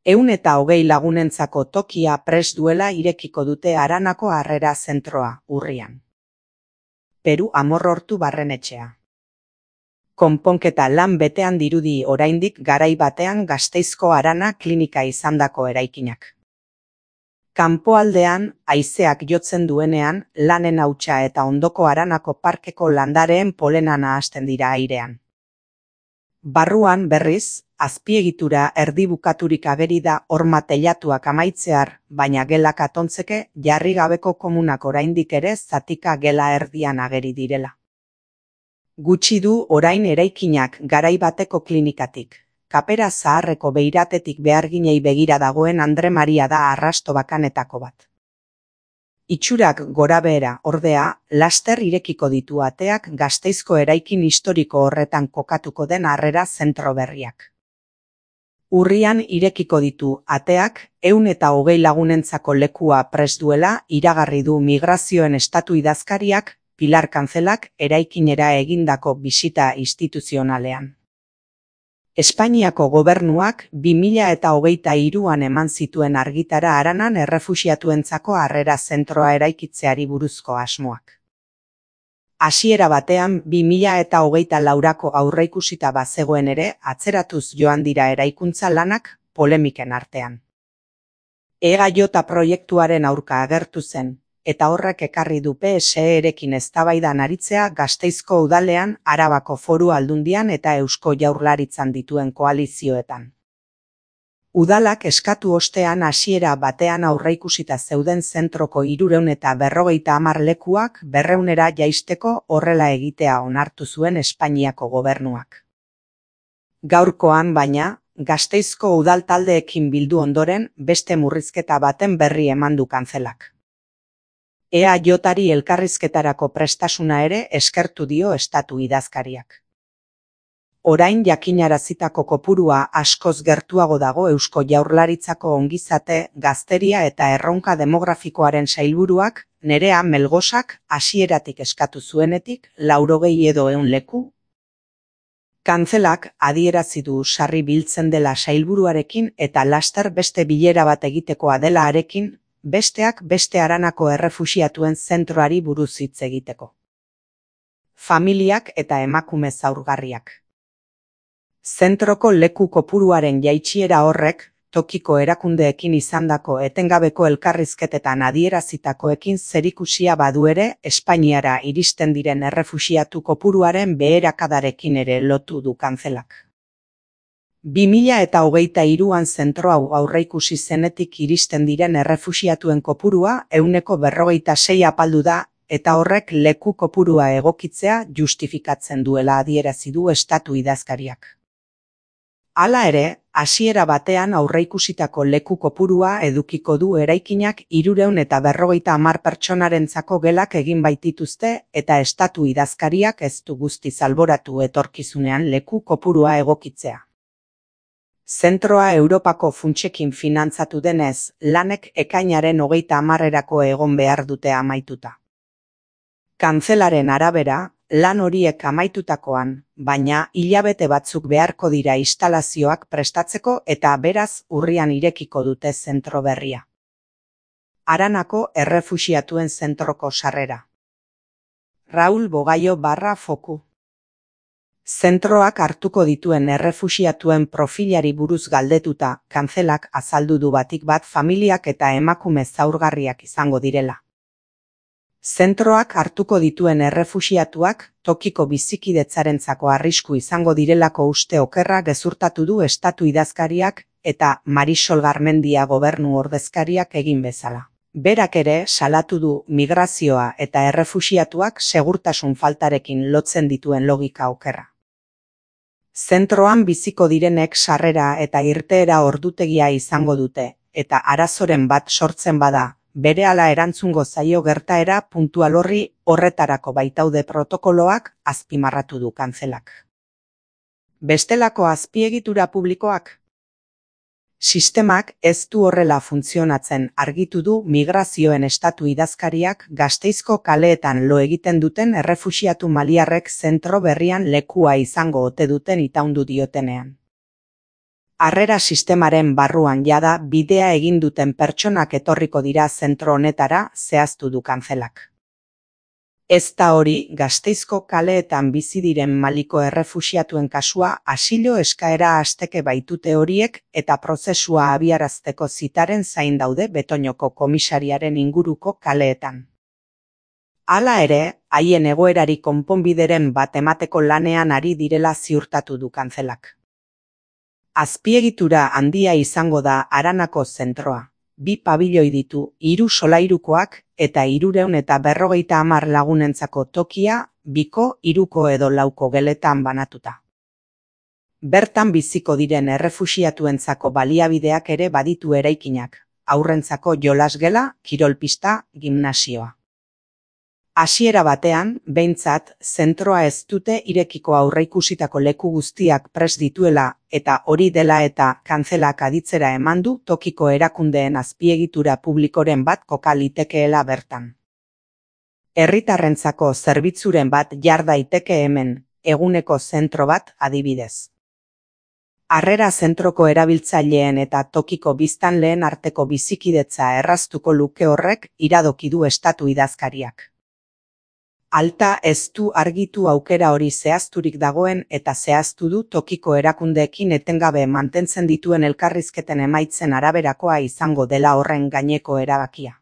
120 lagunentzako tokia prest duela irekiko dute Aranako Harrera Zentroa, urrian. Peru Amorortu Barrenetxea. Konponketa lan betean dirudi oraindik garai batean Gasteizko Arana klinika izandako eraikinak. Kanpoaldean, haizeak jotzen duenean, lanen hautsa eta ondoko Aranako parkeko landareen polena nahasten dira airean. Barruan, berriz, azpiegitura erdibukaturik ageri da horma teilatuak amaitzear, baina gelak atontzeke jarri gabeko komunak oraindik ere zatika gela erdian ageri direla. Gutxi du orain eraikinak garai bateko klinikatik. Kapera zaharreko beiratetik beharginei begira dagoen Andre Maria da arrasto bakanetako bat. Itxurak gorabehera, ordea, laster irekiko ditu ateak Gasteizko eraikin historiko horretan kokatuko den Harrera Zentro berriak. Urrian irekiko ditu ateak 120 lagunentzako lekua prest duela iragarri du Migrazioen Estatu idazkariak Pilar Kanzelak eraikinera egindako bisita instituzionalean. Espainiako gobernuak 2023an eman zituen argitara Aranan errefuxiatuentzako Harrera Zentroa eraikitzeari buruzko asmoak. Hasiera batean 2024ko aurreikusita bazegoen ere atzeratuz joan dira eraikuntza lanak polemiken artean. EAJ proiektuaren aurka agertu zen, eta horrek ekarri du PSE-rekin eztabaidan aritzea Gasteizko udalean, Arabako Foru Aldundian eta Eusko Jaurlaritzan dituen koalizioetan. Udalak eskatu ostean hasiera batean aurreikusita zeuden zentroko 350 lekuak 200era jaisteko horrela egitea onartu zuen Espainiako gobernuak. Gaurkoan, baina, Gasteizko udal taldeekin bildu ondoren beste murrizketa baten berri eman du Kanzelak. EAJari elkarrizketarako prestasuna ere eskertu dio estatu idazkariak. Orain jakinarazitako kopurua askoz gertuago dago Eusko Jaurlaritzako ongizate, gazteria eta erronka demografikoaren sailburuak Nerea Melgosak hasieratik eskatu zuenetik 80 edo 100 leku. Kanzelak adierazi du sarri biltzen dela sailburuarekin eta laster beste bilera bat egitekoa dela harekin, besteak beste Aranako errefuxiatuen zentroari buruz hitz egiteko. Familiak eta emakume zaurgarriak. Zentroko leku kopuruaren jaitsiera horrek, tokiko erakundeekin izandako etengabeko elkarrizketetan adierazitakoekin zerikusia badu ere, Espainiara iristen diren errefuxiatu kopuruaren beherakadarekin ere lotu du Kanzelak. 2023an zentro hau aurreikusi zenetik iristen diren errefuxiatuen kopurua 146 apaldu da, eta horrek leku kopurua egokitzea justifikatzen duela adierazi du estatu idazkariak. Hala ere, hasiera batean aurreikusitako leku kopurua edukiko du eraikinak 350 pertsonarentzako gelak egin baitituzte eta estatu idazkariak ez du guztiz alboratu etorkizunean leku kopurua egokitzea. Zentroa Europako funtsekin finantzatu denez, lanek ekainaren 30erako egon behar dute amaituta. Kanzelaren arabera, lan horiek amaitutakoan, baina hilabete batzuk beharko dira instalazioak prestatzeko eta beraz urrian irekiko dute zentro berria. Aranako errefuxiatuen zentroko sarrera. Raul Bogaio /Foku. Zentroak hartuko dituen errefuxiatuen profilari buruz galdetuta, Kanzelak azaldu du batik bat familiak eta emakume zaurgarriak izango direla. Zentroak hartuko dituen errefuxiatuak tokiko bizikidetzarentzako arrisku izango direlako uste okerra gezurtatu du estatu idazkariak eta Marisol Garmendia gobernu ordezkariak egin bezala. Berak ere salatu du migrazioa eta errefuxiatuak segurtasun faltarekin lotzen dituen logika okerra. Zentroan biziko direnek sarrera eta irteera ordutegia izango dute, eta arazoren bat sortzen bada, berehala erantzungo zaio gertaera puntual horretarako baitaude protokoloak azpimarratu du Kanzelak. Bestelako azpiegitura publikoak? Sistemak ez du horrela funtzionatzen argitu du Migrazioen Estatu idazkariak Gasteizko kaleetan lo egiten duten errefuxiatu maliarrek zentro berrian lekua izango ote duten itaundu diotenean. Harrera sistemaren barruan jada bidea egin duten pertsonak etorriko dira zentro honetara, zehaztu du kanzelak. Ez da hori, Gasteizko kaleetan bizi diren Maliko errefuxiatuen kasua asilo eskaera hasteke baitute horiek eta prozesua abiarazteko zitaren zain daude Betoñoko komisariaren inguruko kaleetan. Hala ere, haien egoerari konponbideren bat emateko lanean ari direla ziurtatu du kanzelak. Azpiegitura handia izango da Aranako zentroa. 2 pabiloi ditu, 3 solairukoak eta 350 lagunentzako tokia, 2ko, 3ko edo 4ko geletan banatuta. Bertan biziko diren errefuxiatuentzako baliabideak ere baditu eraikinak, haurrentzako jolasgela, kirolpista, gimnasioa. Hasiera batean, behintzat, zentroa ez dute irekiko aurreikusitako leku guztiak prest dituela eta hori dela eta kanzelak aditzera eman du tokiko erakundeen azpiegitura publikoren bat koka litekeela bertan. Herritarrentzako zerbitzuren bat jar daiteke hemen, eguneko zentro bat adibidez. Harrera zentroko erabiltzaileen eta tokiko biztanleen arteko bizikidetza erraztuko luke horrek iradoki du estatu idazkariak. Alta ez du argitu aukera hori zehazturik dagoen eta zehaztu du tokiko erakundeekin etengabe mantentzen dituen elkarrizketen emaitzen araberakoa izango dela horren gaineko erabakia.